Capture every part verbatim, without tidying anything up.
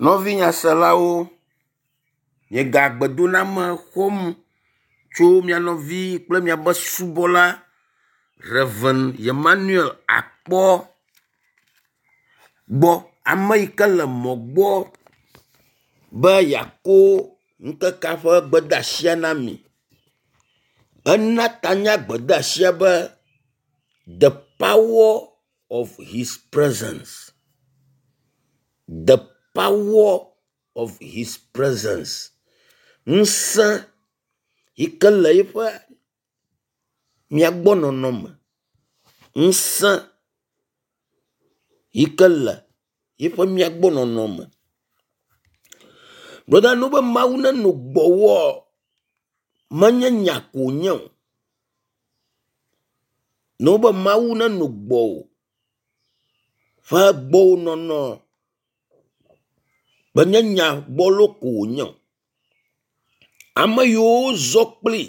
Nɔvi nyaselawo, miega gbedoname xɔm tso mia nɔvi kple miaƒe subɔla Rev. Emmanuel Akpɔ gbɔ. Ame yi ke le mɔ gbɔ be yeako ŋkekea ƒe gbedeasia na mi. Ena tanya gbedeasia be the power of his presence. The power of his presence. Ŋusẽ yi ke le eƒe miagbɔ nɔnɔ me. Ŋusẽ yi ke le yiƒe miagbɔ nɔnɔ me. Brɔda ne wobe Mawu nenɔ gbɔwòa, menye nya ko wònye o. Ne wobe Mawu nenɔ gbɔwò ƒe gbɔwò nɔnɔ menye nya gbɔlo ko wònye o. Ame yiwo zɔ kpli,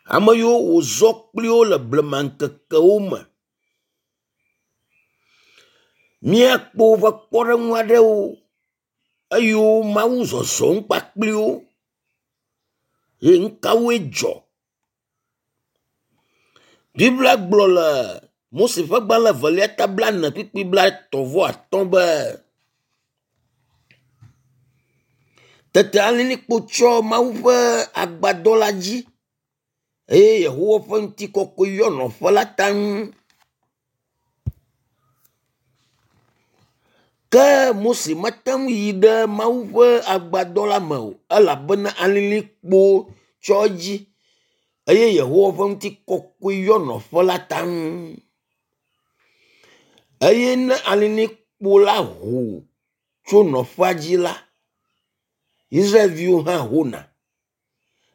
ame yiwo wòzɔ kpli wo le blema ŋkekewo me. Míakpɔ woƒe kpɔɖeŋu aɖewo eyiwo Mawu zɔzɔm kpakpli wo ye nu kawoe dzɔ. Biblia gblɔ le Mose ƒe agbalẽ evelia ta blaene kpukpui blaetɔ̃ vɔ atɔ̃ be, tete alilikpo tsyɔ Mawu ƒe agbadɔ la dzi eye Yehowa ƒe ŋutikɔkɔe yɔ nɔƒe la taŋ. Ke Mose mete ŋu yi ɖe Mawu ƒe agbadɔ la me o elabena alilikpo tsyɔ edzi eye Yehowa ƒe ŋutikɔkɔe yɔ nɔƒe la taŋ. Eye ne alilikpo la ho tso nɔƒea dzi la, Israelviwo hã hona.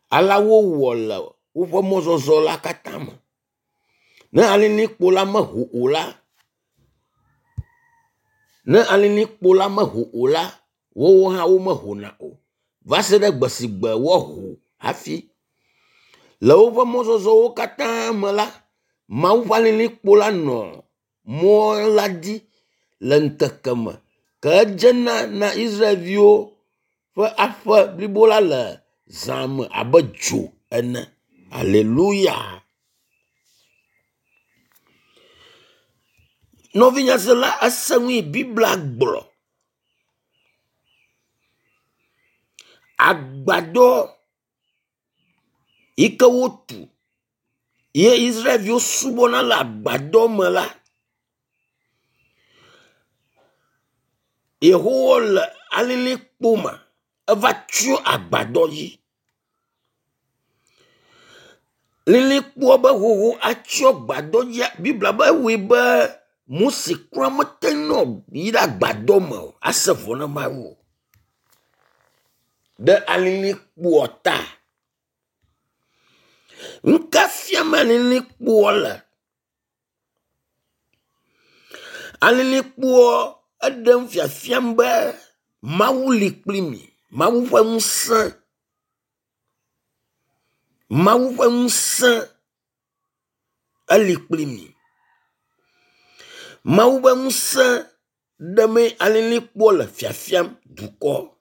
Alea wowɔ le woƒe mɔzɔzɔ la katã me. Ne alilikpo la meho o la, ne alilikpo la meho o la, woawo hã womehona o va se ɖe gbe si gbe woaho hafi. Le woƒe mɔzɔzɔwo katã me la, Mawu ƒe alilikpo la nɔ mɔ la dzi le ŋkeke me ke edzena na Israelviwo ƒe aƒe blibo la le zã me abe dzo ene. Aleluya. Nɔvi nyasela ese nu yi Biblia gblɔ. Agbadɔ yi ke wotu ye Israelviwo subɔna le agbadɔ me la, Yehowa le alilikpo me eva tsyɔ agbadɔ dzi. Lilikpoa be hoho atsyɔ gbadɔ dzia, Biblia be ewɔe be Mose kura mete nɔ yi ɖe agbadɔ me o ase vɔ na Mawu o ɖe alilikpoa ta. Nu ka fiam alilikpoa le? Alilikpoa eɖem fiafiam be Mawu li kpli mi. Mawu ƒe ŋusẽ, Mawu ƒe ŋusẽ eli kpli mi. Mawu ƒe ŋusẽ ɖemee alilikpoa le fiafiam dukɔ.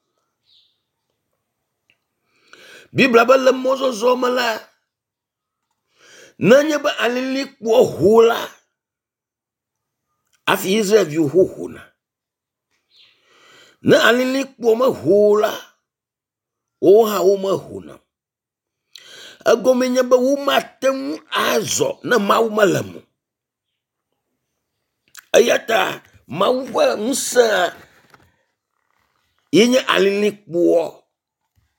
Biblia be le mɔzɔzɔ me la, nenye be alilikpoa ho la, hafi Israelviwo hohona. Ne alilikpoa meho o la, woawo hã womehona o. Egɔme nye be womate ŋu azɔ ne Mawu mele eme o. Eya ta Mawu ƒe ŋusẽa ye nye alilikpoa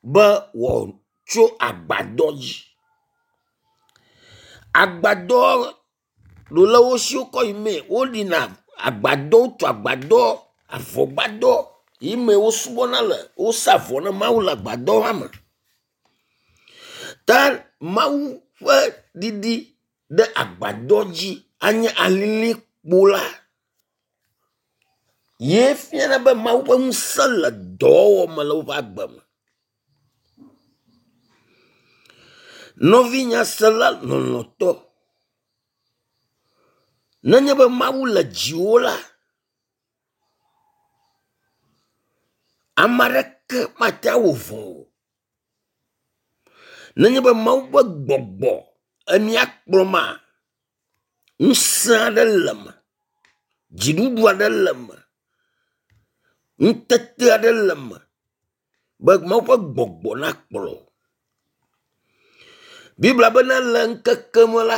be wòatso agbadɔ dzi. Agbadɔ ɖo le wo si wokɔ yi mee woɖina agbadɔ, wotu agbadɔ, avɔgbadɔ yi me wosubɔna le, wosa vɔ na Mawu le agbadɔ ma me. Ta Mawu ƒe ɖiɖi ɖe agbadɔ dzi anye alilikpo la ye fiana be Mawu ƒe ŋusẽ le dɔwɔwɔ me le woƒe agbe me. Nɔvi nyasela lɔlɔ̃tɔ, nenye be Mawu le dziwò la, Ame aɖeke mate awɔ vɔ̃ o. Nenye be Mawu ƒe gbɔgbɔ emia kplɔ ma, ŋusẽ aɖe le eme, dziɖuɖu aɖe le eme, ŋutete aɖe le eme be Mawu ƒe gbɔgbɔ nakplɔ. Biblia bena le ŋkeke me la,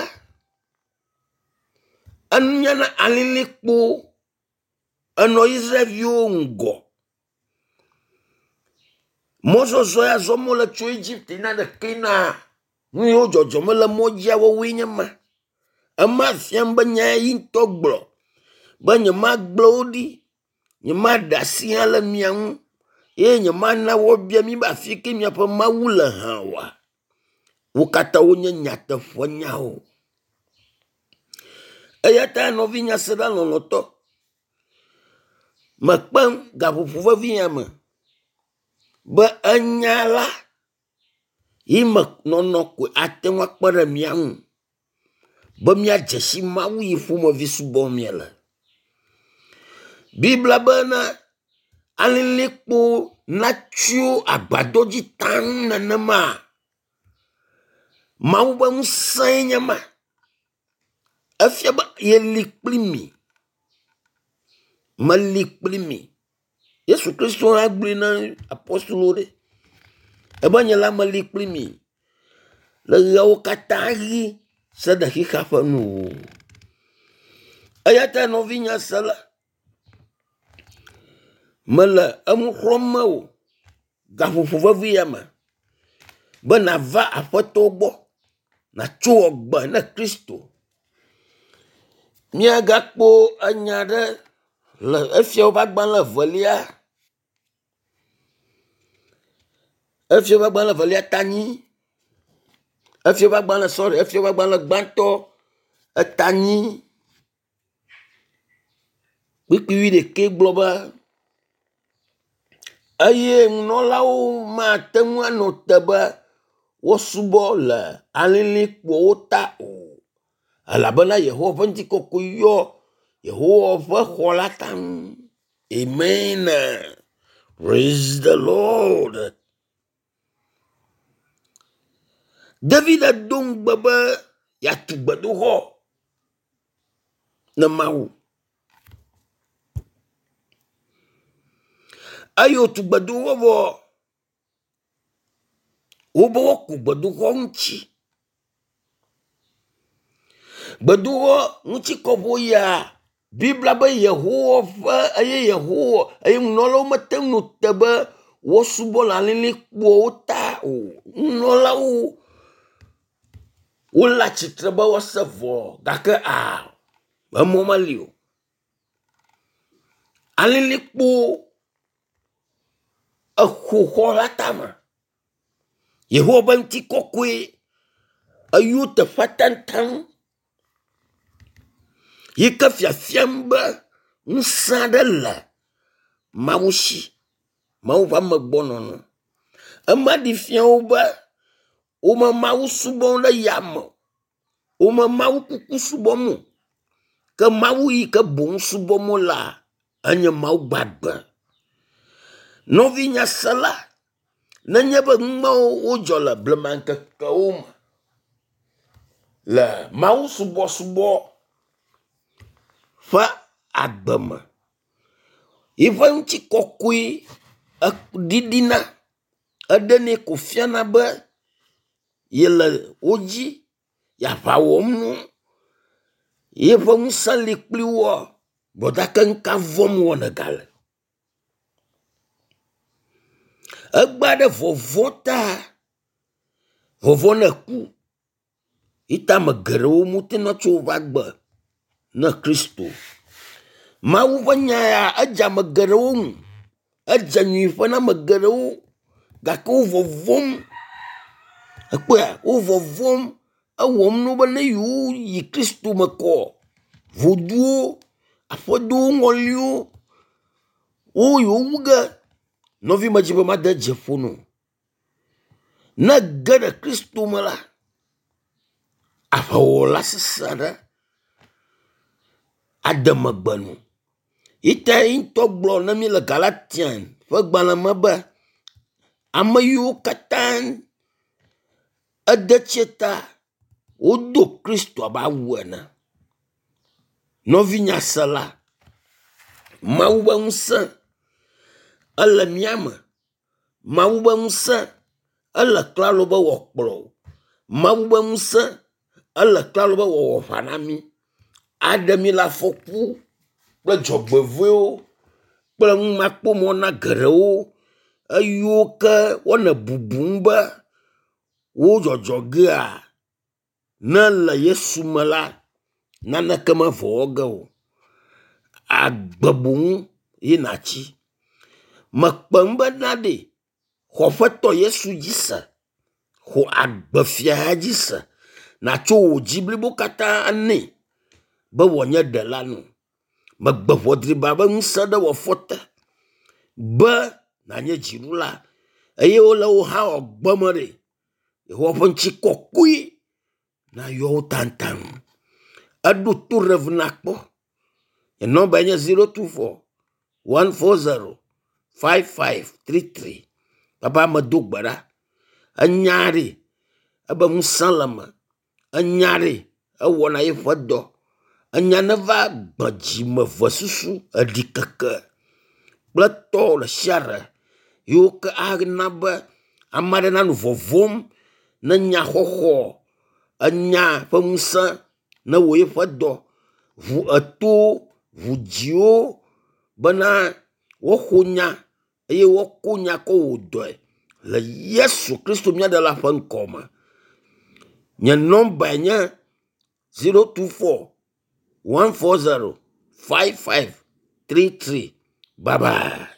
enyana alilikpo enɔ Israelviwo ŋgɔ. Mɔzɔzɔ ya zɔm wole tso Egipte yina ɖe Kanaan, nu yiwo dzɔdzɔm le mɔ dzia woawoe nye ma. Ema fiam be nya yi ŋutɔ gblɔ be nyemagblẽ wo ɖi, nyemaɖe asi hã le mia ŋu eye nyemana woabia mi be afi ke miaƒe Mawu le hã oa. Wo katã wonye nyateƒenyawo. Eya ta nɔvi nyasela lɔlɔ̃tɔ, mekpem gaƒoƒo vevi ya me be enya la yi me nɔnɔ koe ate ŋu akpe ɖe mía ŋu be míadze si Mawu yi ƒomevi subɔm míele. Biblia bena alilikpo natsyɔ agbadɔ dzi taŋ nenema. Mawu ƒe ŋusẽe nye ma. Efia be yeli kpli mi. Meli kpli mi. Yesu Kristo hã gblɔe na apɔstolowo ɖe ebe nye la meli kpli mi le ɣeawo katã ɣi se ɖe xexea ƒe nuwuwu. Eya ta nɔvinye sela, mele enu xlɔ̃m mewò gaƒoƒo vevi ya me be nàva Aƒetɔ gbɔ, nàtso agbe ne Kristo. Míagakpɔ enya ɖe le Efiawo ƒe agbalẽ evelia, Efiawo ƒe agbalẽ evelia ta enyi, Efiawo ƒe agbalẽ sɔri, Efiawo ƒe agbalẽ gbãtɔ eta enyi kpukpui wuiɖekɛ gblɔ be eye nunɔlawo mate ŋu anɔ te be woasubɔ le alilikpowo ta o elabena Yehowa ƒe ŋutikɔkɔe yɔ Yehowa ƒe xɔ la taŋ. Amen. Praise the Lord. David do ŋugbe be yeatu gbedoxɔ ne Mawu. Eye wòtu gbedoxɔ vɔ, wobe woaku gbedoxɔ ŋuti. Gbedoxɔ ŋuti kɔƒo ya Biblia be Yehowa ƒe eye Yehowa eye nunɔlawo mete ŋu nɔ te be woasubɔ le alilikpoawo ta o. Nunɔlawo wole atsitre be woase vɔ gake a emɔ meli o. Alilikpo exo xɔ la tame. Yehowa ƒe ŋutikɔkɔe eyɔ teƒea taŋtaŋ yi ke fiafiam be ŋusẽ aɖe le Mawu si, Mawu ƒe amegbɔnɔnɔ. Ema ɖi fia wo be wome Mawu subɔm ɖe yame o, wome Mawu kuku subɔm o, ke Mawu yi ke boŋ subɔm wolea, enye Mawu gbagbe. Nɔvi nyasela, nenye be nu mawo wodzɔ le blema ŋkekewo me le Mawu subɔsubɔ ƒe agbe me, yiƒe ŋutikɔkɔe ɖiɖina, eɖenɛ ko fiana be yele wo dzi, ye aʋa wɔm na wo, yeƒe ŋusẽ li kpli woa, gake nu ka vɔ̃m wɔ nègale? Egbea ɖe vɔvɔ̃ ta, vɔvɔ̃ ne ku yi ta ame geɖewo mete ŋu tso woƒe agbe ne Kristo. Mawu ƒe nya ya edze ame geɖewo ŋu, edze nyuiƒe na ame geɖewo gake wo vɔvɔ̃m. Ekpɔea, wo vɔvɔ̃m ewɔm na wo be ne yewoyi Kristo me kɔ, voduwo, aƒedowo ŋɔliwo, wo yewo wu ge. Nɔvi medzi be made dzi ƒo na wò. Ne ege ɖe Kristo me la, aʋawɔla sesẽ aɖe ade megbe na wò. Yi ta ye ŋutɔ gblɔ na mí le Galatian ƒe gbalẽ me be ame yiwo katã ede tsie ta wodo Kristo abe awu ene. Nɔvi nyasela, Mawu ƒe ŋusẽ ele mía me. Mawu ƒe ŋusẽ ele klalo be wòakplɔ wò. Mawu ƒe ŋusẽ ele klalo be wòawɔ aʋa na mí. Aɖe mí le afɔku kple dzɔgbevɔ̃ewo kple numakpɔmɔ na geɖewo eyiwo ke wole bubum be wo dzɔdzɔ gea, ne èle Yesu me la, naneke mevɔ wɔ ge o. Agbe boŋ ye nàtsi. Mekpe ŋu bena ɖe, xɔ Aƒetɔ Yesu dzi se. Xɔ agbefia dzi se. Nàtsɔ wò dzi blibo katã nɛ be wòanye ɖela nɔ. Megbe ʋɔ driba ƒe ŋusẽ ɖe wò afɔ te be nànye dziɖula eye wole wò hã wɔ gbeme ɖe, Yehowa ƒe ŋutikɔkɔe nayɔ wo taŋtaŋ. Eɖo to Rev nakpɔ. Nye nɔmbae nye zero two four one four zero five five three three. Papa medo gbe ɖa. Enya ɖe ebe ŋusẽ le eme. Enya ɖe ewɔna eƒe dɔ. Enya neva gbe dzime vesusu eɖikeke kple tɔ ɖe sia ɖe yiwo ke ana be ame aɖe nanɔ vɔvɔm ne nyaxɔxɔ enya ƒe ŋusẽ ne wɔ eƒe dɔ. Ʋu etowo, ʋu dziwo bena woaxɔ nya eye woako nya kɔ wɔ dɔe le Yesu Kristo mía ɖela ƒe ŋkɔ me. Nye nɔmbae nye zero two four one four zero five five three three. Bye bye.